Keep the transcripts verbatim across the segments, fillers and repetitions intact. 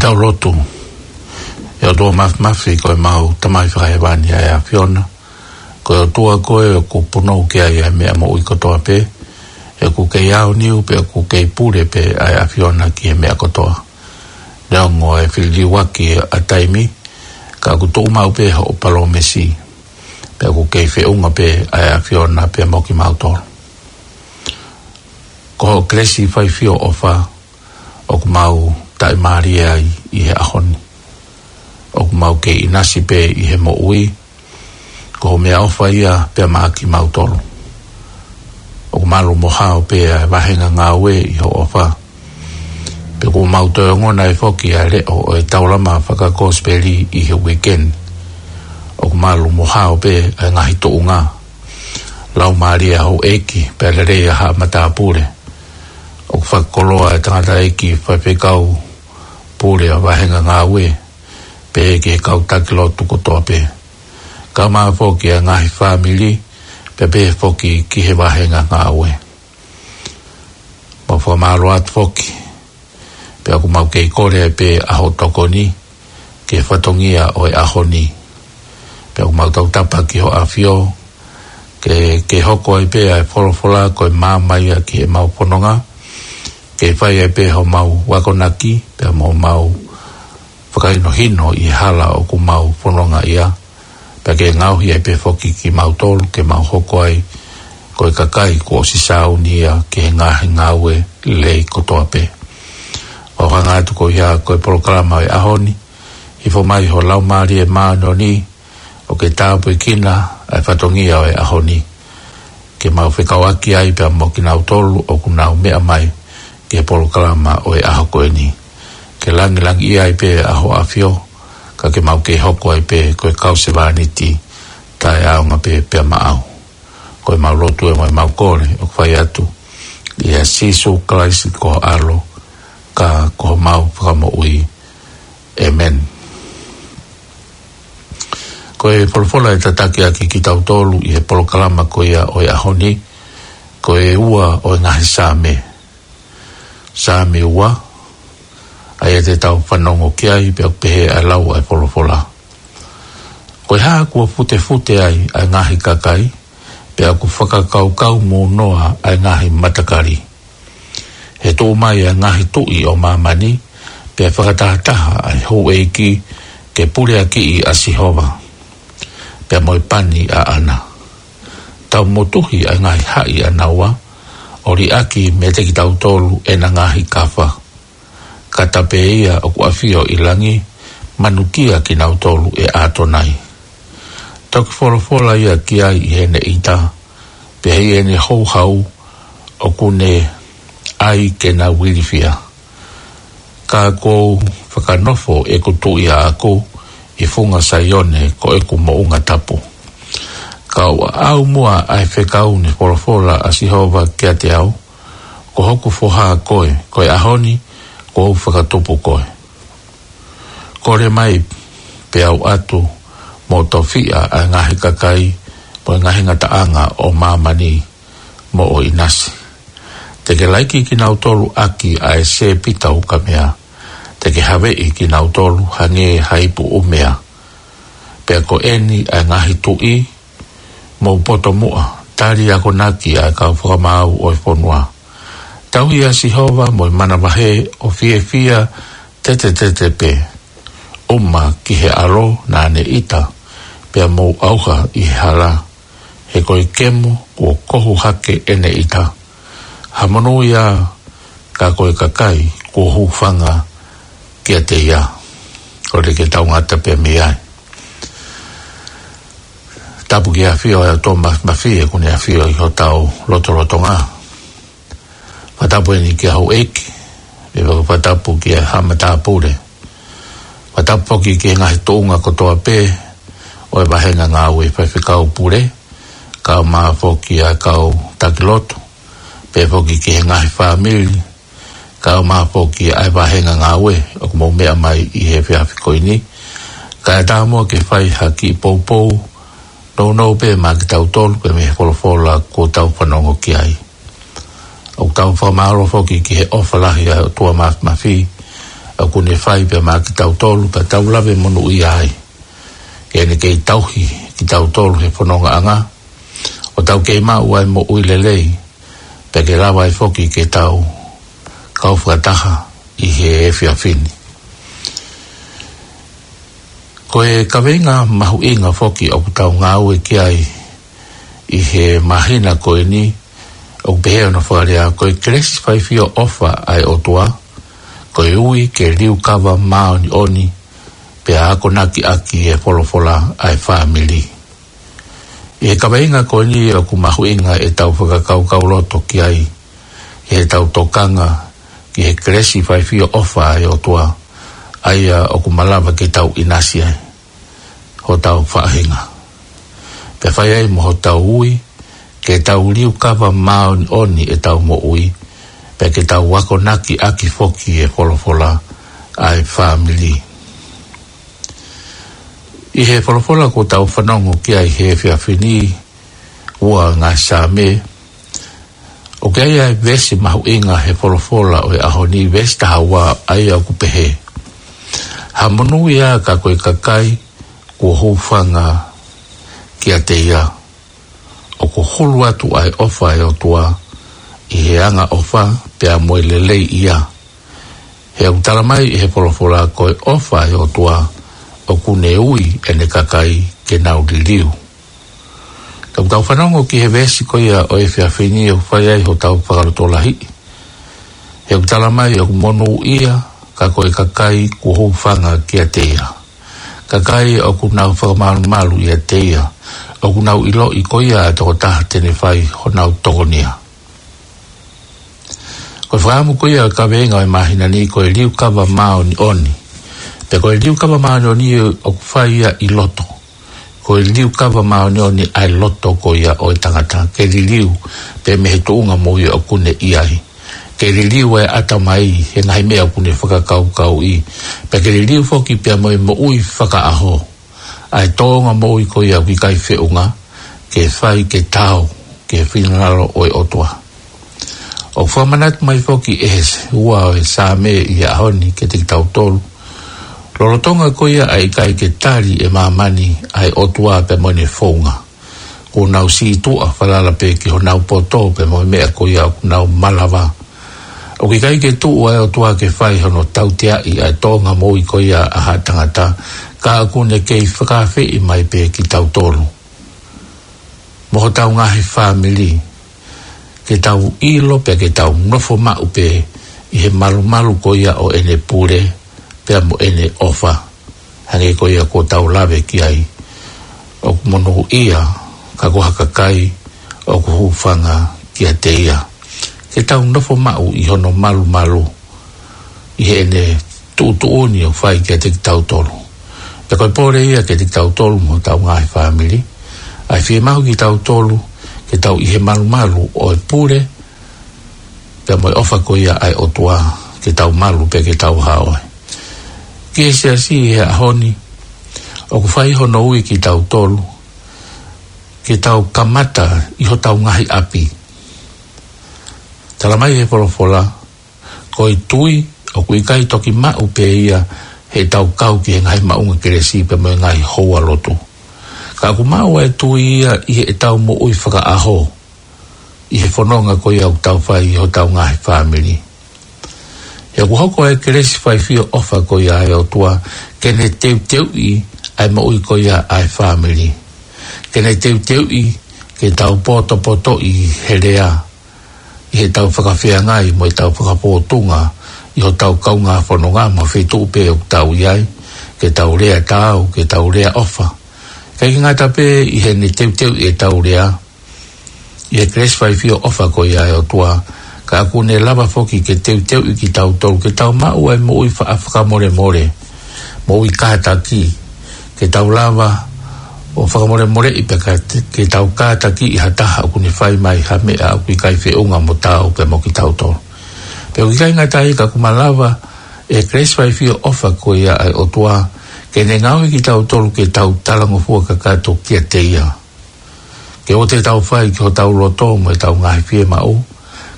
Tau lotu. ʻE ʻOtua Māfimafi, ko ʻemau Tamai Fakahēvani ʻa e ʻAfiona. Ko e ʻOtua koe ʻoku punou ki ai ʻa e meʻa moʻui kotoa pē. ʻOku kei aoniu pē, ʻoku kei pule pē ʻa e ʻAfiona ki he meʻa kotoa. Neongo e filiuaki ʻa taimi, ka ʻoku tuʻu maʻu pē hoʻo palōmesi. Pea ʻoku kei feʻunga pē ʻa e ʻAfiona pea mo kimautolu. Ko hoʻo kelesi, faifio, ʻofa, ʻoku mau taʻimālie ai ʻi he ʻaho ni. ʻOku mau kei ʻinasi pē ʻi he moʻui, ko hoʻo meʻaʻofa ia pea maʻa kimautolu. ʻOku malu mo hao pē ʻa e vahenga ngāue ʻi hoʻo ʻofa. Pea ʻoku mau toe ongona ai foki ʻa e leʻo ʻo e taulama fakakosipeli ʻi he weekend. ʻOku malu mo hao pē ʻa e ngaahi tuʻunga. Laumālie ʻa houʻeiki, pea lelei ʻa haʻa matāpule. ʻOku fakakoloa e tangataʻeiki faifekau pule ʻa e vahenga ngāue, pehē ki he kau taki lotu kotoa pē. Kae ʻumaʻā foki ʻa e ngaahi fāmili, pea pehē foki ki he vahenga ngāue. Mau fakamālō atu foki, pea ʻoku mau kei kole ai pē ʻa hoʻo tokoni ki he fatongia ʻo e ʻaho ni. Pea ʻoku mau tautapa ki hoʻo ʻAfio, ke, ke hoko ai pē ʻa e folofola ko e maama ia ki heʻemau fononga, ke fai ai pē homau akonaki, pea mo homau fakahinohino ʻi he hala ʻoku mau fononga ai, pea ke ngaohi ai pē foki kimautolu, ke mau hoko ai ko e kakai kuo ʻosi sāuni ia ki he ngaahi ngāue lelei kotoa pē. ʻOku hanga atu ko ia ko e polokalama ʻo e ʻaho ni, hifo mai ho Laumālie Māʻoniʻoni, ʻo ke tāpuekina ʻa e fatongia ʻo e ʻaho ni. Ke mau fekauʻaki ai pea mo kinautolu ʻoku nau meʻa mai ki he polokalama ʻo e ʻaho ko eni. Ke langilangiʻia ai pē ʻa hoʻo ʻAfio, ka ke mau kei hoko ai pē ko e kau sevāniti taʻeʻaonga pē pea maʻau. Ko ʻemau lotu ē mo ʻemau kole ʻoku fai atu ʻia Sīsū Kalaisi ko ho ʻAlo, ka ko homau Fakamoʻui. ʻĒmeni. Ko e folofola ʻe tataki ʻaki kitautolu ʻi he polokalama ko ia ʻo e ʻaho ni, ko e ua ʻo e ngaahi Saame. Saame ua, ʻa ia te tau fanongo ki ai, pea ʻoku pehē ʻa e lau ʻa e folofola. Ko e hā kuo futefute ai ʻa e ngaahi kakai, pea ʻoku fakakaukau mūnoa ʻa e ngaahi matakali? He tuʻu mai ʻa e ngaahi tuʻi ʻo māmani, pea fakatahataha ʻa e houʻeiki ke puleakiʻi ʻa Sihova, pea mo e pani ʻaʻana. Tau motuhi ʻa e ngaahi haʻi ʻanaua, ʻo liʻaki meiate kitautolu ʻena ngaahi kafa. Ka ta pē ia ʻoku ʻafio ʻi langi, manukia kinautolu ʻe ʻAtonai. Toki folofola ia ki ai ʻi heʻene ʻita, pea ʻi heʻene houhau ʻoku ne ʻai ke nau ilifia. Ka kuo u fakanofo ʻeku tuʻi ʻaʻaku ʻi funga Saione ko ʻeku moʻunga tapu. Ka ʻoku ʻaʻau muʻa ʻa e fekau ne folofola ʻa Sihova kiate au, Ko hoku foha koe, ko e ʻaho ni kuo u fakatupu koe. Kole mai pea u ʻatu mo tofiʻa ʻa e ngaahi kakai mo e ngaahi ngataʻanga ʻo māmani moʻo ʻinasi. Te ke laiki kinautolu ʻaki ʻa e sēpita ukamea. Te ke haveʻi kinautolu hangē ha ipu ʻumea. Pea ko eni ʻa e ngaahi tuʻi, mou poto muʻa, tali akonaki ʻa e kau fakamaau ʻo e fonua. Tauhi ʻa Sihova mo e manavahē ʻo fiefia tetetete pē. ʻUma ki he ʻAlo naʻa ne ʻita, pea mou ʻauha ʻi he hala. He ko e kemo kuo kohu hake ʻene ʻita. Ha monūʻia ka ko e kakai kuo hūfanga kiate ia. Kole ke tau ngata pē mei ai. Tapu ki he ʻAfio ʻa e ʻOtua Māfimafi ʻoku ne ʻafio ʻi hotau lotolotonga. Fakatapu eni ki he houʻeiki, pea fakatapu ki he haʻa matāpule. Fakatapu foki ki he ngaahi tuʻunga kotoa pē ʻo e vahenga ngāue, faifekau pule, kae ʻumaʻā foki ʻa e kau taki lotu, pea foki ki he ngaahi fāmili, kae ʻumaʻā foki ʻa e vahenga ngāue ʻoku mou meʻa mai ʻi he efiafi ko eni. Kae ʻatā muʻa ke fai ha kiʻi poupou nounou pē maʻa kitautolu pē mei he folofola kuo tau fanongo ki ai. ʻOku tau fakamālō foki ki he ʻofa lahi ʻa e ʻOtua Māfimafi, ʻoku ne fai pea maʻa kitautolu, pea tau lave monūʻia ai. Ke ne kei tauhi kitautolu he fonongaʻanga, ʻo tau kei maʻu ʻa e moʻui lelei, pea ke lava ai foki ke tau kau fakataha ʻi he efiafi ni. Ko e kaveinga mahuʻinga foki ʻoku tau ngāue ki ai ʻi he māhina ko eni, ʻoku pehē hono fakalea: Ko e kelesi, faifio, ʻofa ʻa e ʻOtua, ko e ui ke liukava māʻoniʻoni, pea akonakiʻaki e folofola ʻa e fāmili. ʻI he kaveinga ko eni ʻoku mahuʻinga ʻetau fakakaukauloto ki ai, ʻi heʻetau tokanga ki he kelesi, faifio, ʻofa ʻa e ʻOtua, ʻa ia ʻoku malava ke tau ʻinasi ai hotau faʻahinga. Pea fai ai mo hotau ui, ke tau liukava māʻoniʻoni ʻetau moʻui, pea ke tau akonakiʻaki foki e folofola ʻa e fāmili. ʻI he folofola kuo tau fanongo ki ai he efiafi ni, ua ngaahi Saame, ʻoku ʻi ai ʻa e veesi mahuʻinga he folofola ʻo e ʻaho ni, veesi taha ua, ʻa ia ʻoku pehē: Ha monūʻia ka ko e kakai kuo hūfanga kiate ia. ʻOku hulu atu ʻa e ʻofa ʻa e ʻOtua ʻi he angaʻofa pea mo e lelei ia. He ʻoku tala mai ʻe he folofola, ko e ʻofa ʻa e ʻOtua ʻoku ne ui ʻene kakai ke nau liliu. Ka ʻoku tau fanongo ki he veesi ko ia ʻo e efiafi ni ʻoku fai ai hotau fakalotolahiʻi. He ʻoku tala mai ʻoku monūʻia ka ko e kakai kuo hūfanga kiate ia. Kakai ʻoku nau fakamalumalu ʻiate ia, ʻoku nau ʻiloʻi ko ia ʻa e tokotaha te ne fai honau tokonia. Ko e fakaʻamu ko ia ʻo e kaveinga ʻo e māhina ni, ko e liukava māʻoniʻoni. Pea ko e liukava māʻoniʻoni ʻoku fai ia ʻi loto. Ko e liukava māʻoniʻoni ʻa e loto ko ia ʻo e tangata, ke liliu pē mei he tuʻunga moʻui ʻoku ne ʻi ai. Ke liliu ʻa e ʻatamai he ngaahi meʻa ʻoku ne fakakaukauʻi. Pea ke liliu foki pea mo e moʻui fakaʻaho, ʻa e tōʻonga moʻui ko ia ʻoku ʻikai feʻunga, ke fai ke taau ki he finangalo ʻo e ʻOtua. ʻOku fakamanatu mai foki ʻe he ua ʻo e Saame ʻi he ʻaho ni kiate kitautolu, lolotonga ko ia ʻa e ʻikai ke tali ʻe māmani ʻa e ʻOtua pea mo ʻene founga, kuo nau sītuʻa falala pē ki honau poto pea mo e meʻa ko ia ʻoku nau malava. ʻOku ʻikai ke tuʻu ʻa e ʻOtua ke fai hono tauteaʻi ʻa e tōʻonga moʻui ko ia ʻa ha tangata, ka ʻoku ne kei fakaafeʻi mai pē kitautolu mo hotau ngaahi fāmili, ke tau ʻilo pea ke tau nofo maʻu pē ʻi he malumalu ko ia ʻo ʻene pule pea mo ʻene ʻofa. Hangē ko ia kuo tau lave ki ai, ʻoku monūʻia ka ko ha kakai ʻoku hūfanga kiate ia. Ke tau nofo maʻu ʻi hono malumalu, ʻi heʻene tuʻutuʻuni ʻoku fai kiate kitautolu. Pea ko e pole ia kiate kitautolu mo hotau ngaahi fāmili, ʻa e fiemaʻu kitautolu ke tau ʻi he malumalu ʻo e pule pea mo e ʻofa ko ia ʻa e ʻOtua, ke tau malu pea ke tau hao ai. Ki he siasi he ʻaho ni, ʻoku fai hono ui kitautolu ke tau kamata ʻi hotau ngaahi ʻapi. Tala mai he folofola, ko e tui ʻoku ʻikai toki maʻu pē ia heʻetau kau ki he ngaahi maʻunga kelesi pea mo e ngaahi houalotu. Ka ʻoku maʻu ʻa e tui ia ʻi heʻetau moʻui fakaʻaho, ʻi he fononga ko ia ʻoku tau fai ʻi hotau ngaahi fāmili. He ʻoku hoko ʻa e kelesi, faifio, ʻofa ko ia ʻa e ʻOtua, ke ne teuteuʻi ʻa e moʻui ko ia ʻa e fāmili. Ke ne teuteuʻi ke tau potopotoʻi he lea, ʻi heʻetau fakafeangai mo ʻetau fakapōtunga ʻi hotau kaungā fononga mo e feituʻu pē ʻoku tau ʻi ai, ke tau lea taau, ke tau lea ʻofa. ʻIkai ke ngata pē ʻi heʻene teuteuʻi ʻetau lea, ʻi he kelesi, faifio, ʻofa ko ia ʻa e ʻOtua, ka ʻoku ne lava foki ke teuteuʻi kitautolu ke tau maʻu ʻa e moʻui fa-, fakamolemole, moʻui kātaki, ke tau lava ʻo fakamolemoleʻi pea ka te-, ke tau kātakiʻi ha taha ʻoku ne fai mai ha meʻa ʻoku ʻikai feʻunga mo taau pea mo kitautolu. Pea ʻoku ʻikai ngata ai ka ʻoku malava ʻe he kelesi, faifio, ʻofa ko ia ʻa e ʻOtua, ke ne ngaohi kitautolu ke tau talangofua kakato kiate ia. Ke ʻoua te tau fai ki hotau loto mo ʻetau ngaahi fiemaʻu,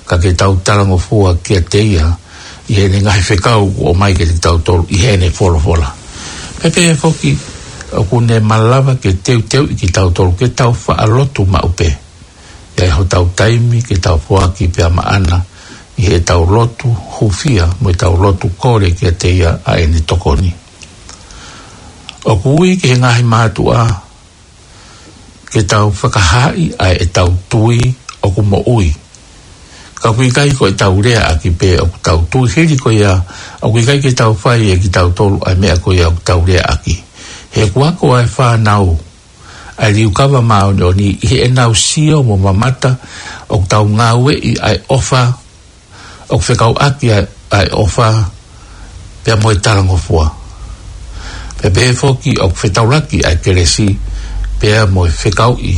ka ke tau talangofua kiate ia, ʻi heʻene ngaahi fekau kuo ʻomai kiate kitautolu ʻi heʻene folofola. Pea pehē foki, ʻoku ne malava ke teuteuʻi kitautolu ke tau faʻa lotu maʻu pē. ʻI ai hotau taimi ke tau foaki pea maʻana ʻi heʻetau lotu hūfia mo ʻetau lotu kole kiate ia ʻa ʻene tokoni. ʻOku ui ki he ngaahi mātuʻa ke tau fakahaaʻi ʻa ʻetau tui ʻoku moʻui. Ka ʻoku ʻikai ko ʻetau leaʻaki pē ʻoku tau tui, hili ko ia ʻoku ʻikai ke tau fai ʻe kitautolu ʻa e meʻa ko ia ʻoku tau leaʻaki. He ʻoku ako ʻa e fānau ʻa e liukava māʻoniʻoni ʻi heʻenau sio mo mamata ʻoku tau ngāueʻi ʻa e ʻofa, ʻoku fekauʻaki ʻa e, ʻa e ʻofa pea mo e talangofua. Pea pehē foki ʻoku fetaulaki ʻa e kelesi pea mo e fekauʻi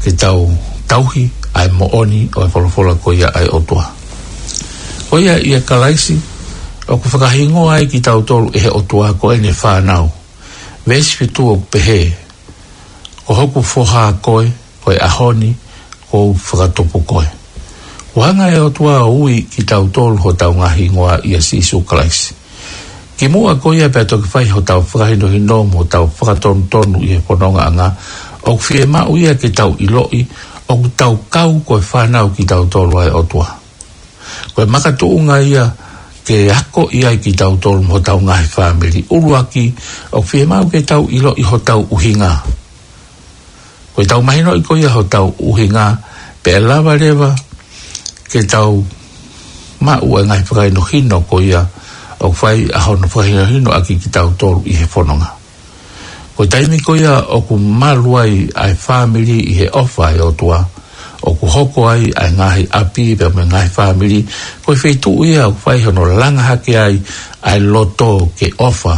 ke tau tauhi ʻa e moʻoni ʻo e folofola ko ia ʻa e ʻOtua. Ko ia ʻia Kalaisi, ʻoku fakahingoa ai kitautolu ʻe he ʻOtua ko ʻene fānau. Veesi fitu ʻoku pehē, Ko hoku foha koe, ko e ʻaho ni kuo u fakatupu koe. Kuo hanga ʻe he ʻOtua ʻo ui kitautolu hotau ngaahi hingoa ʻia Sīsū Kalaisi. Kimuʻa ko ia pea toki fai hotau fakahinohino mo hotau fakatonutonu ʻi he fonongaʻanga, ʻoku fiemaʻu ia ke tau ʻiloʻi ʻoku tau kau ko e fānau kitautolu ʻa e ʻOtua. Ko e makatuʻunga ia ke akoʻi ai kitautolu mo hotau ngaahi fāmili. ʻUluaki, ʻoku fiemaʻu ke tau ʻiloʻi hotau ʻuhinga. Ko ʻetau mahinoʻi ko ia hotau ʻuhinga, pea lava leva ke tau maʻu ʻa e ngaahi fakahinohino ko ia ʻoku fai ʻa hono fakahinohino ʻaki kitautolu ʻi he fononga. Ko e taimi ko ia ʻoku malu ai ʻa e fāmili ʻi he ʻofa ʻa e ʻOtua, ʻoku hoko ai ʻa e ngaahi ʻapi pea mo e ngaahi fāmili ko e feituʻu ia ʻoku fai hono langa hake ai ʻa e loto ke ʻofa,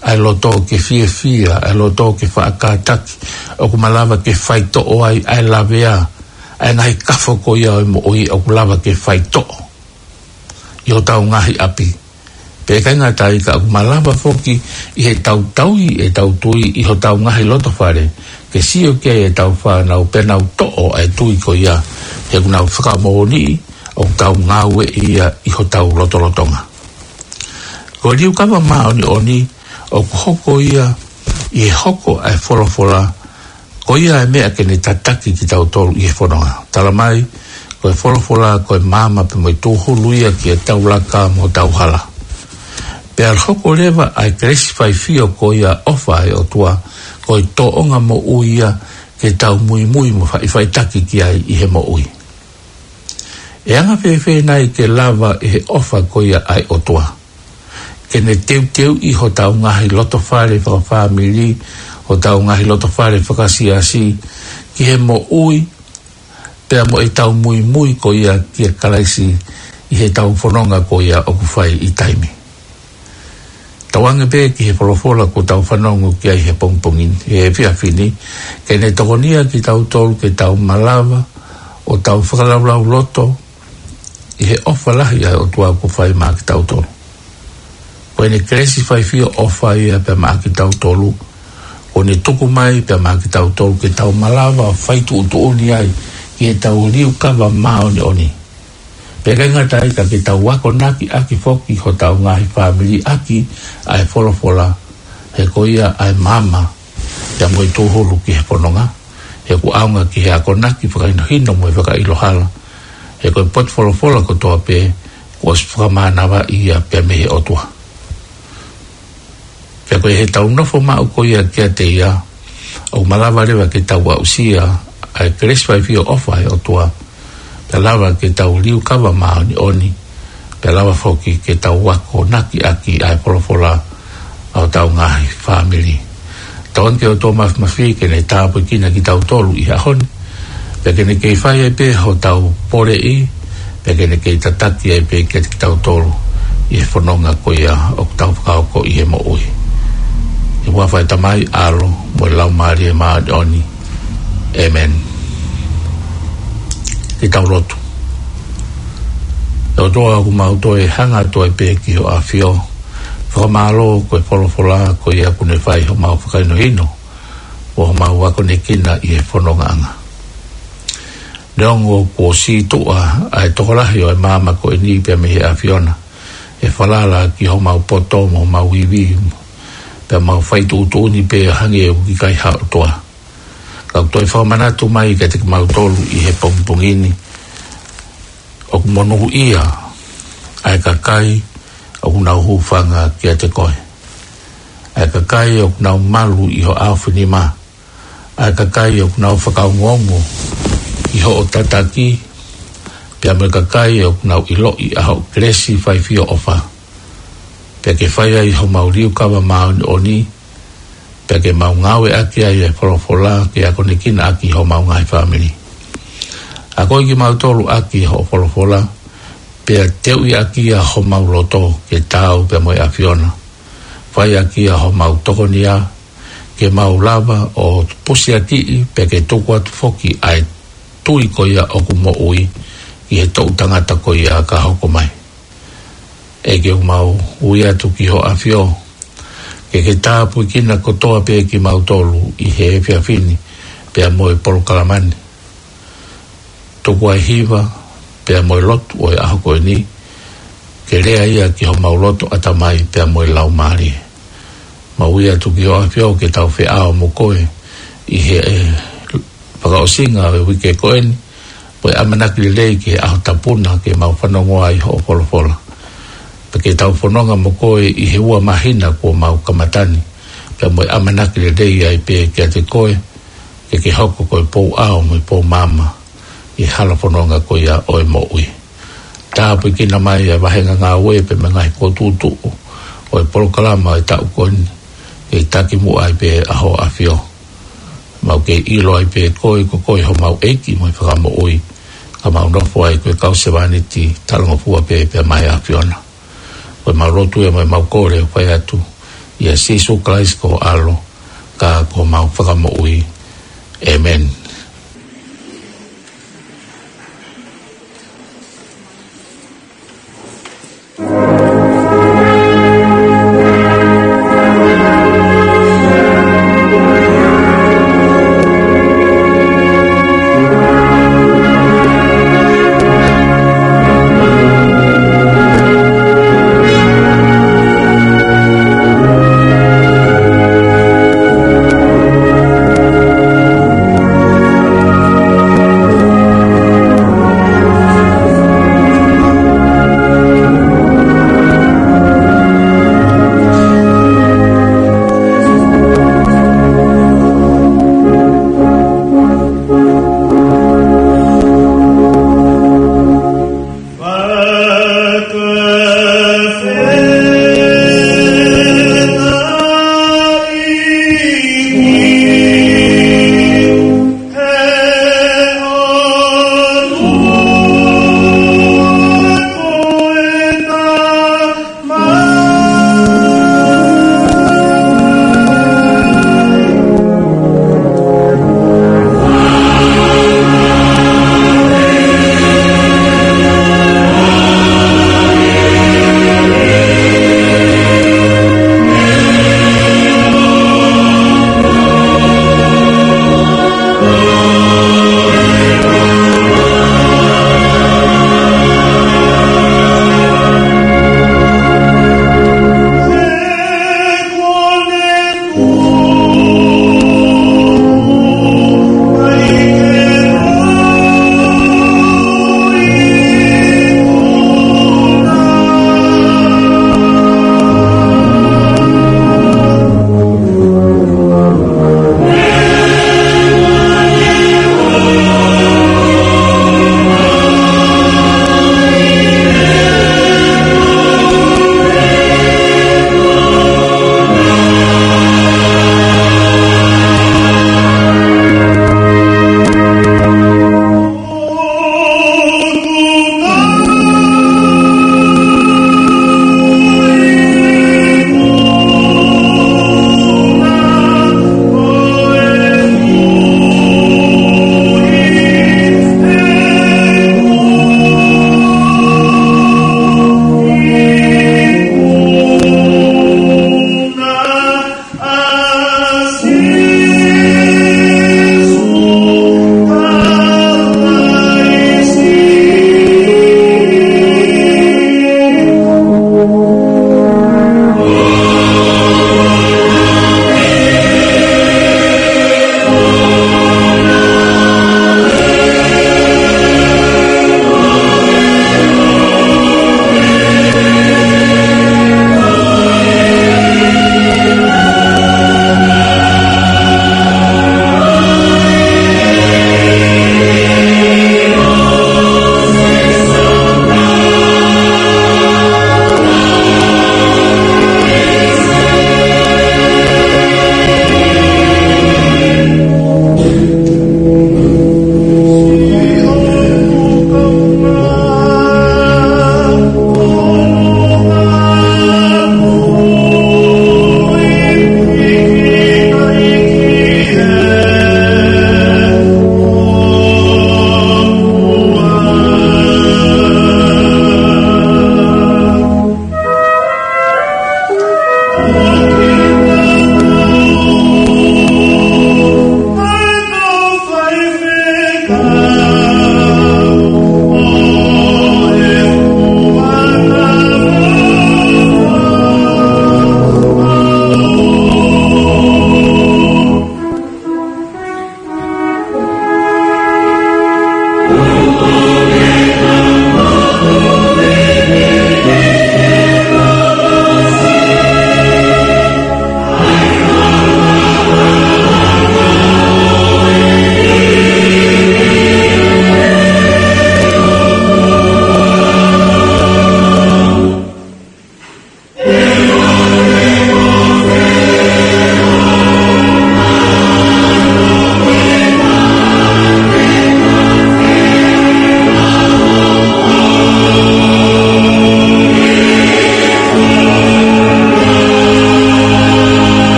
ʻa e loto ke fiefia, ʻa e loto ke faʻa kātaki, ʻoku malava ke faitoʻo ai ʻa e lavea, ʻa e ngaahi kafo ko ia ʻo e moʻui ʻoku lava ke faitoʻo ʻi hotau ngaahi ʻapi. Pea ʻikai ngata ai ka ʻoku malava foki ʻi heʻetau tauhi ʻetau tui ʻi hotau ngaahi lotofale, ke sio ki ai ʻetau fānau pea nau toʻo ʻa e tui ko ia, he ʻoku nau fakamoʻoniʻi ʻoku tau ngāueʻi ia ʻi hotau lotolotonga. Ko e liukava māʻoniʻoni ʻoku hoko ia ʻi he hoko ʻa e folofola, ko ia ʻa e meʻa ke ne tataki kitautolu ʻi he fononga. Tala mai, ko e folofola ko e maama pea mo e tūhulu ia ki heʻetau laka mo hotau hala. Pea hoko leva ʻa e kelesi faifio ko ia ʻofa ʻa e ʻOtua, ko e tōʻonga moʻui ia ke tau muimui mo faʻifaʻitaki ki ai ʻi he moʻui. ʻE anga fēfē nai ke lava ʻe he ʻofa ko ia ʻa e ʻOtua ke ne teuteuʻi hotau ngaahi lotofale fakafāmili, hotau ngaahi lotofale fakasiasi, ki he moʻui, pea mo ʻetau muimui ko ia kia Kalaisi ʻi heʻetau fononga ko ia ʻoku fai ʻi taimi. Tauange pē ki he folofola kuo tau fanongo ki ai he pongipongi ni, he efiafi ni, ke ne tokonia kitautolu ke tau malava ʻo tau fakalaulauloto ʻi he ʻofa lahi ʻa e ʻOtua kuo fai maʻa kitautolu. Ko ʻene kelesi faifio ʻofa ia pea maʻa kitautolu, kuo ne tuku mai pea maʻa kitautolu ke tau malava ʻo fai tuʻutuʻuni ai ki heʻetau liukava māʻoniʻoni. Pea ʻikai ngata ai ka ke tau akonaki ʻaki foki hotau ngaahi fāmili ʻaki ʻa e folofola, he ko ia ʻa e maama pea mo e tūhulu ki he fononga, he ʻoku ʻaonga ki he akonaki fakahinohino mo e fakaʻilo hala, he ko e potu folofola kotoa pē kuo ʻosi fakamānavaʻi ia pea mei he ʻOtua. Pea ko e heʻetau nofo maʻu ko ia kiate ia, ʻoku malava leva ke tau aʻusia ʻa e kelesi faifio ʻofa ʻa e ʻOtua, pea lava ke tau liukava māʻoniʻoni, pea lava foki ke tau akonaki ʻaki ʻa e folofola ʻa hotau ngaahi fāmili. Tauange ki he ʻOtua Māfimafi ke ne tāpuekina kitautolu ʻi he ʻaho ni, pea ke ne kei fai ai pē hotau poleʻi, pea ke ne kei tataki ai pē kiate kitautolu ʻi he fononga ko ia ʻoku tau fakahoko ʻi he moʻui. ʻI he huafa ʻo e Tamai, ʻAlo, mo e Laumālie Māʻoniʻoni. ʻĒmeni. Ke tau lotu. ʻE ʻOtua, ʻoku mau toe hanga atu ai pē ki hoʻo ʻAfio. Fakamālō ko e folofola ko ia ʻoku ne fai homau fakahinohino, ʻo homau akonekina ʻi he fonongaʻanga. Neongo kuo sītuʻa ʻa e tokolahi ʻo e maama ko eni pea mei he ʻAfiona, ʻe falala ki homau poto mo homau ivi, pea mau fai tuʻutuʻuni pē hangē ʻoku ʻikai ha ʻOtua. Ka ʻoku toe fakamanatu mai kiate kimautolu ʻi he pongipongi ni, ʻoku monūʻia ʻa e kakai ʻoku nau hūfanga kiate koe, ʻa e kakai ʻoku nau malu ʻi ho ʻaofinima, ʻa e kakai ʻoku nau fakaongoongo ʻi hoʻo tataki, pea mo e kakai ʻoku nau ʻiloʻi ʻa hoʻo kelesi, faifio, ʻofa. Pea ke fai ai homau liukava māʻoniʻoni, pea ke mau ngāueʻaki ai e folofola ke akonekina ʻaki homau ngaahi fāmili. Akoʻi kimautolu ʻaki hoʻo folofola, pea teuʻi ʻaki ʻa homau loto ke taau pea mo e ʻAfiona. Fai ʻaki ʻa homau tokonia, ke mau lava ʻo pusiakiʻi, pea ke tuku atu foki ʻa e tui ko ia ʻoku moʻui ʻi he toʻu tangata ko ia ka hoko mai. ʻEiki, ʻoku mau ui atu ki ho ʻAfio, ke ke tāpuekina kotoa pē kimautolu ʻi he efiafi ni, pea mo e polokalama ni. Tuku ʻa e hiva, pea mo e lotu ʻo e ʻaho ko eni, ke lea ia ki homau loto, ʻatamai, pea mo e laumālie. Mau ui atu ki ho ʻAfio ke tau feʻao mo koe ʻi he, ʻe, fakaʻosinga ʻo e uike ko eni, mo e ʻamanaki lelei ki he ʻaho tapu na ke mau fanongo ai hoʻo folofola. Pea ke tau fononga mo koe ʻi he ua māhina kuo mau kamata ni, pea mo e ʻamanaki lelei ai pē kiate koe, ke ke hoko ko e pou ʻao mo e pou maama ʻi he hala fononga ko ia ʻo e moʻui. Tāpuekina mai ʻa e vahenga ngāue pea mo e ngaahi kōtuʻutuʻu ʻo e polokalama ʻo e taʻu ko eni, ke taki muʻa ai pē ʻa ho ʻAfio. Mau kei ʻilo ai pē koe, ko koe homau ʻEiki mo e Fakamoʻui, ka mau nofo ai ko e kau sevāniti talangofua pē pea mo e ʻAfiona. Ko e mau lotu ia mo e mau kole ʻoku fai atu ʻia Sīsū Kalaisi ko ho ʻAlo, ka ko homau Fakamoʻui. ʻĒmeni.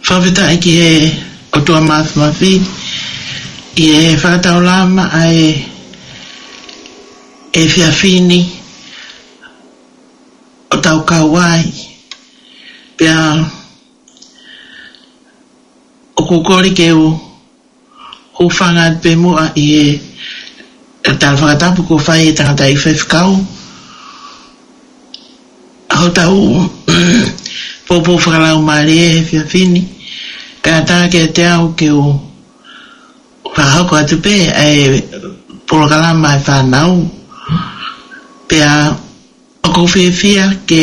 Fakafetaʻi ki he ʻOtua Mafimafi, ʻi he fakataulama ʻa e efiafi ni ʻoku tau kau ai. Pea ʻoku ou kole ke u hūfanga atu pē muʻa ʻi he tala fakatapu kuo fai ʻe he tangataʻeiki faifekau hotau poupou fakalaumālie he efiafi ni. Kae ʻatā kiate au ke u fakahoko atu pē ʻa e polokalama ʻa e fānau. Pea ʻoku ou fiefia ke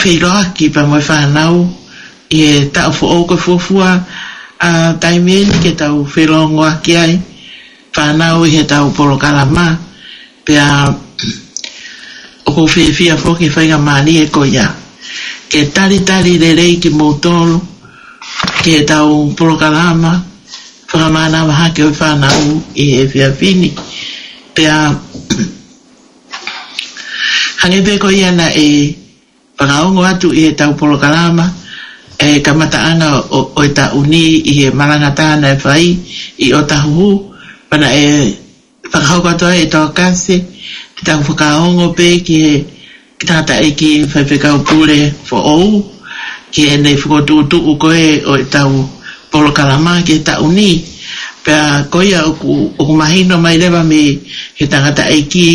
feʻiloaki pea mo e fānau ʻi he taʻu foʻou ko e fuofua ʻa e taimi eni ke tau felōngoaki ai fānau ʻi heʻetau polokalama. Pea ʻoku ou fiefia foki he faingamālie ko ia ke talitali lelei kimoutolu ki heʻetau polokalama fakamānava hake ʻo e fānau ʻi he efiafi ni. Pea hangē pē ko ia naʻe fakaongo atu ʻi heʻetau polokalama ʻa e kamataʻanga ʻo, ʻo e taʻu ni ʻi he malanga tā naʻe fai ʻi ʻŌtāhuhu, pea naʻe fakahoko atu ai ʻe Tokasi, te tau fakaongo pē ki he, ki he tangataʻeiki faifekau pule foʻou, ki heʻene fokotuʻutuʻu ko ē ʻo ʻetau polokalama ki he taʻu ni. Pea ko ia ʻoku, ʻoku mahino mai leva mei he tangataʻeiki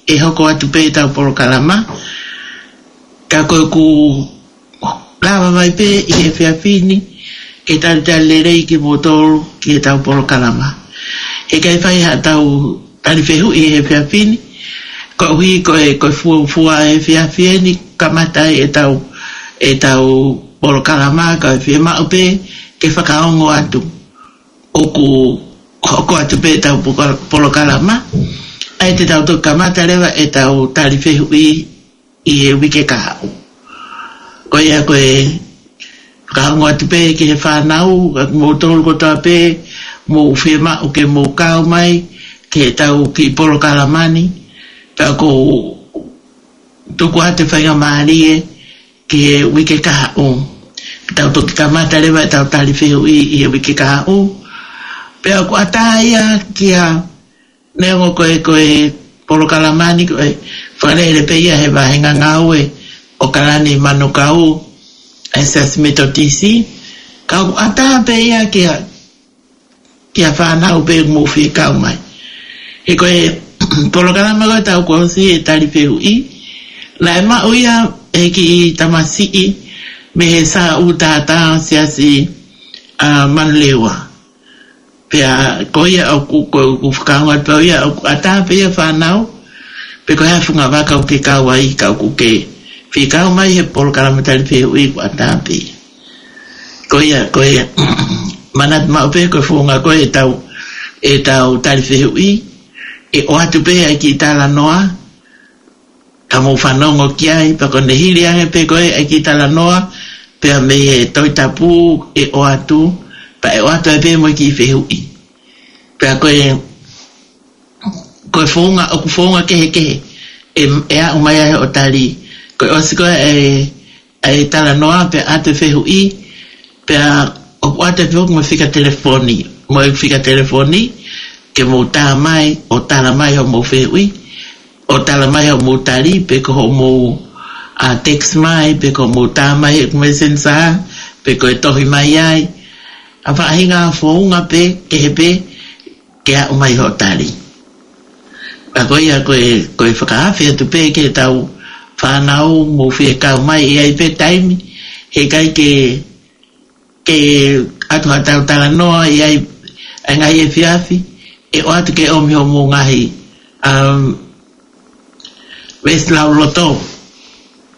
ʻe hoko atu pē ʻetau polokalama. Ka ko ʻeku lava mai pē ʻi he efiafi ni ke talitali lelei kimoutolu ki heʻetau polokalama. He ʻikai fai haʻatau tali fehuʻi ʻi he efiafi ni, koeʻuhi ko e, ko e fuofua efiafi eni kamata ai ʻetau, ʻetau polokalama, ka ʻe fiemaʻu pē ke fakaongo atu ʻoku hoko atu pē ʻetau poka-, polokalama, ʻa ia te tau toki kamata leva ʻetau tali fehuʻi ʻi he uike kahaʻu. Ko ia ko e fakaongo atu pē ki he fānau, ka kimoutolu kotoa pē, mou fiemaʻu ke mou kau mai ki heʻetau kiʻi polokalama ni, pea ʻoku ou tuku atu e faingamālie ki he uike kahaʻu. Tau toki kamata leva ʻetau tali fehuʻi ʻi he uike kahaʻu. Pea ʻoku ʻatā ia kia, neongo ko e, ko e polokalama ni ko e fakalele pē ia he vāhenga ngāue ʻo ʻAokalani Manukau, ʻa e Siasi Metotisi. Ka ʻoku ʻatā pē ia kia, kia fānau pē ʻoku mou fie kau mai. He ko e polokalama ko ē ʻoku ʻosi ʻi he tali fehuʻi, naʻe maʻu ia ʻe he kiʻi tamasiʻi mei he Sāʻū Tātā Siasi ʻa Manurewa. Pea ko ia ʻoku, ko ʻeku fakaongo atu pē ia ʻoku ʻatā pē ia fānau, pe ko e hā e funga vaka ʻoku ke kau ai ka ʻoku ke fie kau mai he polokalama tali fehuʻi ʻoku ʻatā pē ia. Ko ia, ko ia, manatu maʻu pē ko e founga ko ē ʻetau, ʻetau tali fehuʻi, ʻe ʻoatu pē ʻa e kiʻi talanoa, ka mou fanongo ki ai, pea ko ʻene hili ange pē ko ē ʻa e kiʻi talanoa, pea mei he Tohi Tapu ʻe ʻoatu, pea ʻe ʻoatu ai pē mo e kiʻi fehuʻi. Pea ko e, ko e founga, ʻoku founga kehekehe ʻe, ʻe aʻu mai ai hoʻo tali. Ko e ʻosi ko ē ʻa e, ʻa e talanoa pea ʻoatu e fehuʻi, pea ʻoku ʻoatu e fehuʻi mo e fika telefoni, mo e fika telefoni, ke mou tā mai, ʻo tala mai hoʻomou fehuʻi, ʻo tala mai hoʻomou tali, pe ko hoʻomou, ʻa, text mai, pe ko hoʻomou tā mai he Messenger, pe ko e tohi mai ai. ʻA e faʻahinga founga pē, kehe pē, ke aʻu mai hoʻo tali. Ka ko ia ko e, ko e fakaafe atu pē ki heʻetau fānau mou fie kau mai, ʻe ʻi ai pē taimi, he ʻikai ke, ke ʻoatu haʻatau talanoa ʻi ai, ʻa e ngaahi efiafi, ʻe ʻoatu ke ʻomi hoʻomou ngaahi, um, veesi lauloto.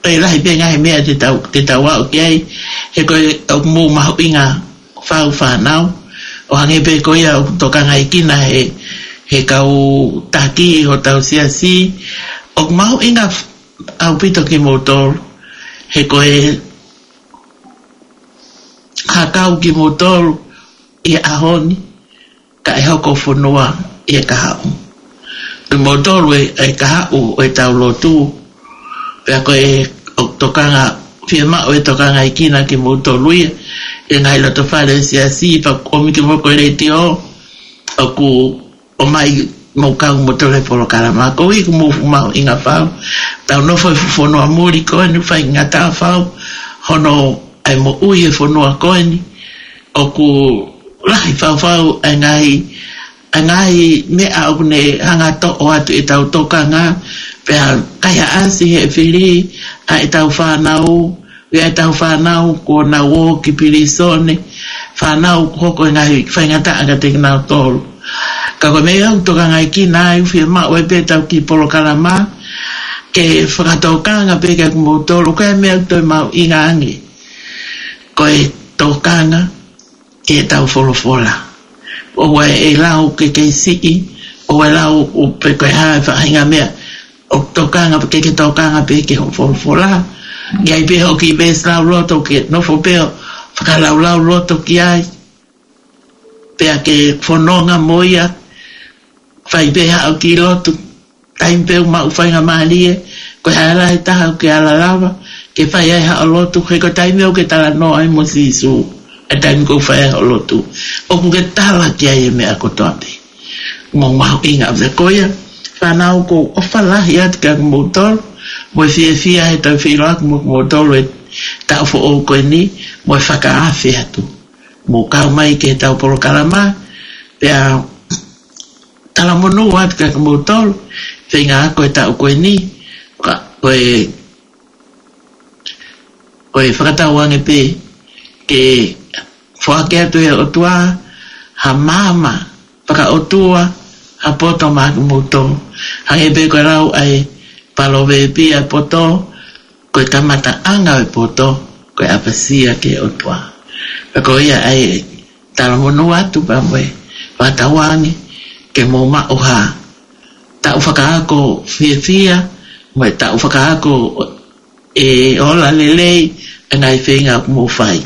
ʻE lahi pē ngaahi meʻa te tau, te tau aʻu ki ai, he ko e, ʻoku mou mahuʻinga fau fānau, ʻo hangē pē ko ia ʻoku tokangaekina he, he kau taki ʻi hotau siasi, ʻoku mahuʻinga f-, ʻaupito kimoutolu, he ko e hakau kimoutolu ʻi he ʻaho ni, ka ʻe hoko fonua ʻi he kahaʻu. Ko kimoutolu ʻa e, ʻa e kahaʻu ʻo ʻetau lotu. Pea ko e, ʻoku tokanga, fiemaʻu e tokangaekina kimoutolu ia, ʻi he ngaahi loto fale ʻo e siasi, pea ʻoku ʻomi kimoutolu ko e letiō, ʻoku ʻomai mou kau kimoutolu he polokalama. Koeʻuhi ʻoku mou mahuʻinga fau. Tau nofo he fuʻu fonua muli ko eni, faingataʻa fau hono ʻai moʻui he fonua ko eni. ʻOku lahi fau fau ʻa e ngaahi, ʻa e ngaahi meʻa ʻoku ne hanga toʻo atu ʻetau tokanga, pea kaihaʻasi he fili ʻa ʻetau fānau, ʻi ai ʻetau fānau kuo nau ō ki pilīsone, fānau kuo hoko e ngaahi faingataʻa kiate kinautolu. Ka ko e meʻa ʻoku tokangaekina ai, fiemaʻu ai pē ʻetau kiʻi polokalama, ke fakatokanga pē kiate kimoutolu, ko e meʻa ʻoku toe mahuʻinga ange. ko e tokanga ki heʻetau folofola. ʻOua ʻe lau ke kei siʻi, ʻoua ʻe lau ʻo pehē ko e hā e faʻahinga meʻa ʻoku tokanga, ke ke tokanga pē ki hoʻo folofola. ʻI ai pē hoʻo kiʻi veesi lauloto ke nofo pē ʻo fakalaulauloto ki ai. Pea ke fononga mo ia, fai pē haʻo kiʻi lotu. Taimi pē ʻoku maʻu faingamālie, ko e hā e lahi taha ʻoku ke ala lava ke fai ai haʻo lotu, he ko e taimi ʻoku ke talanoa ai mo Sīsū, ʻa e taimi ʻoku ke fai ai haʻo lotu, ʻoku ke tala ki ai e meʻa kotoa pē. Mou mahuʻinga ʻaupito. Ko ia, fānau, ʻoku ou ʻofa lahi atu kiate kimoutolu, mo e fiefia he toe feʻiloaki mo kimoutolu he taʻu foʻou ko eni, mo e fakaafe atu. Mou kau mai ki heʻetau polokalama, pea talamonū atu kiate kimoutolu, feinga ko e taʻu ko eni, ka, ko e, ko e fakatauange pē ke foaki atu ʻe he ʻOtua ha maama fakaʻotua, ha poto maʻa kimoutolu. Hangē pē ko e lau ʻa e palōvepi, ʻa e poto, ko e kamataʻanga ʻo e poto, ko e ʻapasia ki he ʻOtua. Pea ko ia ai, talamonū atu pea mo e fakatauange ke mou maʻu ha taʻu fakaako fiefia, mo e taʻu fakaako ʻe ola lelei ʻa e ngaahi feinga ʻoku mou fai.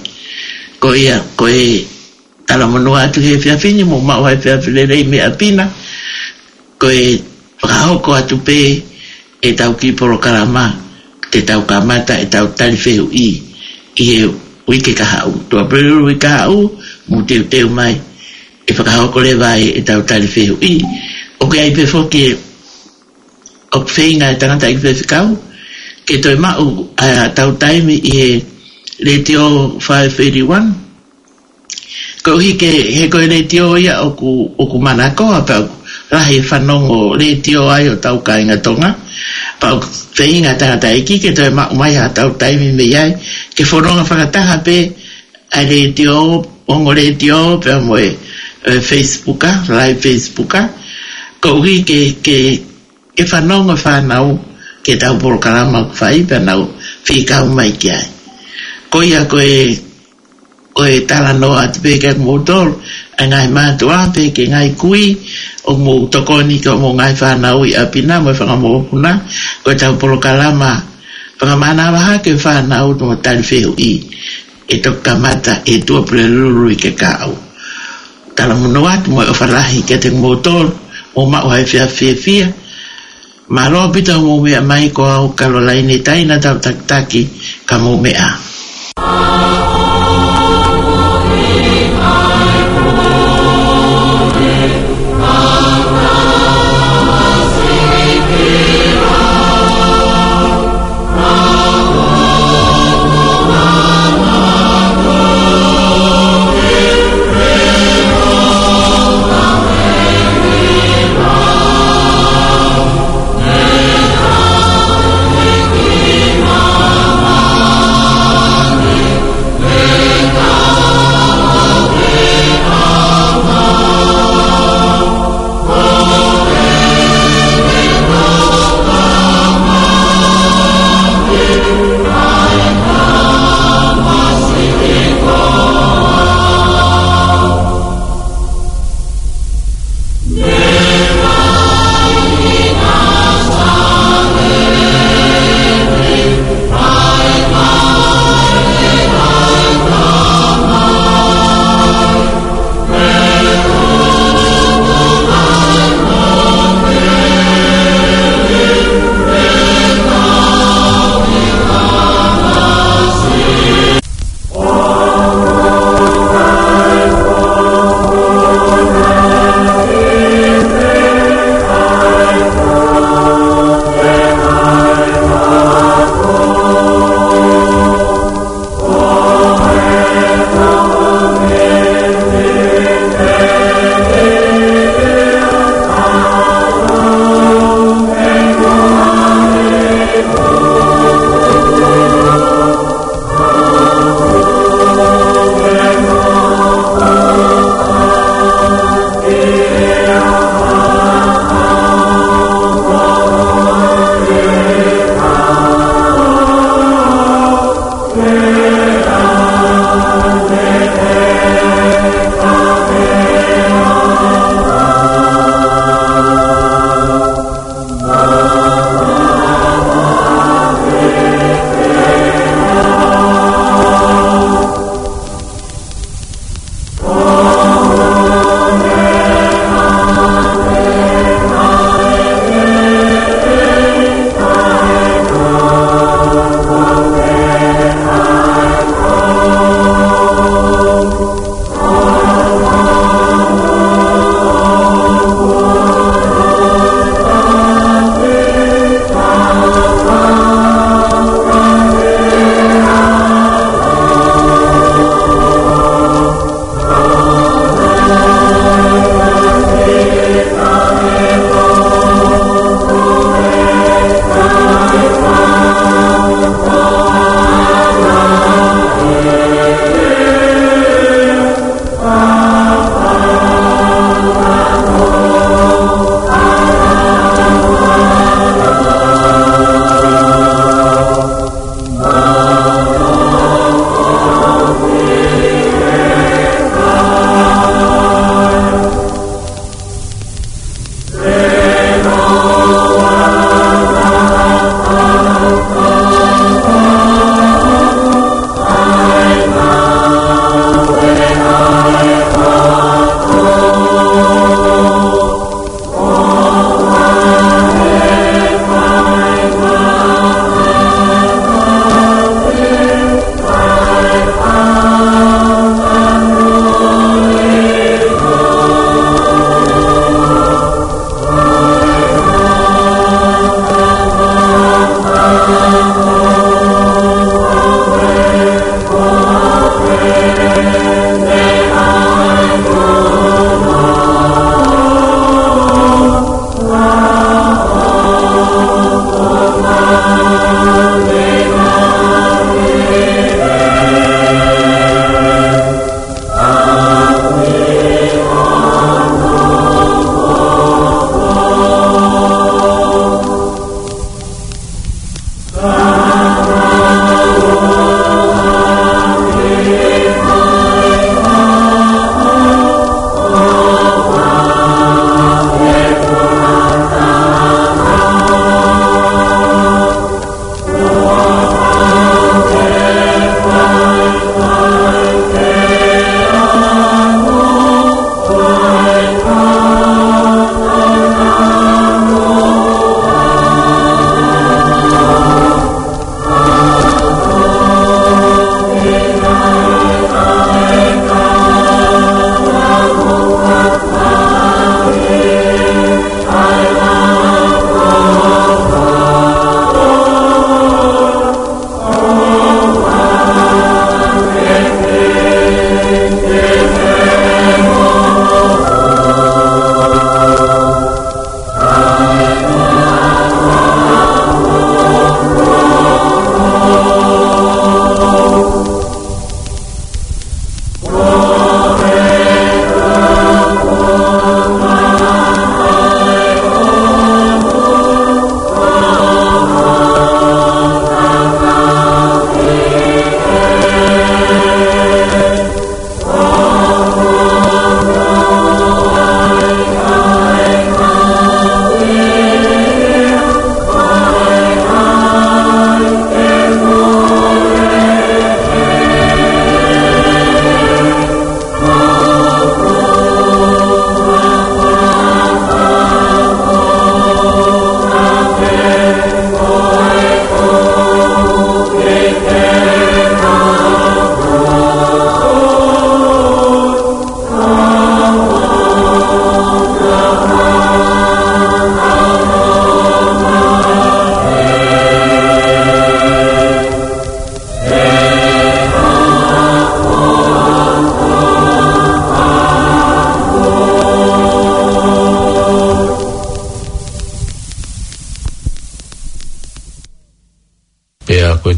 Ko ia, ko e talamonū atu he efiafi ni, mou maʻu ha efiafi lelei mei ʻapi na. Ko e fakahoko atu pē ʻetau kiʻi polokalama, te tau kamata ʻetau tali fehuʻi ʻi he uike kahaʻu. Tuʻapulelulu uike kahaʻu, mou teuteu mai, ʻe fakahoko leva ai ʻetau tali fehuʻi. ʻOku ʻi ai pē foki ʻoku feinga e tangataʻeiki faifekau ke toe maʻu ʻa ʻetau taimi ʻi he Letiō five eighty-one. Koeʻuhi ke, he ko e letiō ia ʻoku, ʻoku manakoa, pea ʻoku lahi e fanongo letiō ai ʻo hotau kāinga Tonga. Pea ʻoku feinga e tangataʻeiki ke toe maʻu mai haʻatau taimi mei ai, ke fononga fakataha pē ʻa e letiō, ongo letiō, pea mo e, e Facebook, live Facebook. Koeʻuhi ke, ke, ke fanongo e fānau ki heʻetau polokalama ʻoku fai, pea nau fekau mai ki ai. Ko ia ko e, ko e talanoa atu pē kiate kimoutolu, ʻa e ngaahi mātuʻa pea ki he ngaahi kui, ʻoku mou tokoni ki hoʻomou ngaahi fānau ʻi ʻapi na mo e fanga mokopuna, ko ʻetau polokalama fakamānava hake e fānau mo e tali fehuʻi, ʻe toki kamata he Tuʻapulelulu uike kahaʻu. Talamonū atu mo e ʻofa lahi kiate kimoutolu, mou maʻu ha efiafi fiefia. Mālō ʻaupito hoʻomou meʻa mai, ko au Kalolaine Taina, tau takitaki, ka mou meʻa.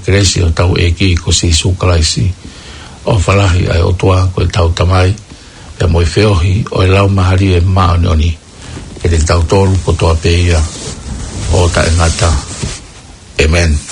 kelesi ʻo hotau ʻEiki ko Sīsū Kalaisi, ʻofa lahi ʻa e ʻOtua ko ʻetau Tamai, pea mo e feohi ʻo e Laumālie Māʻoniʻoni, ke te tautolu kotoa pē ia ʻo taʻengata. ʻĒmeni.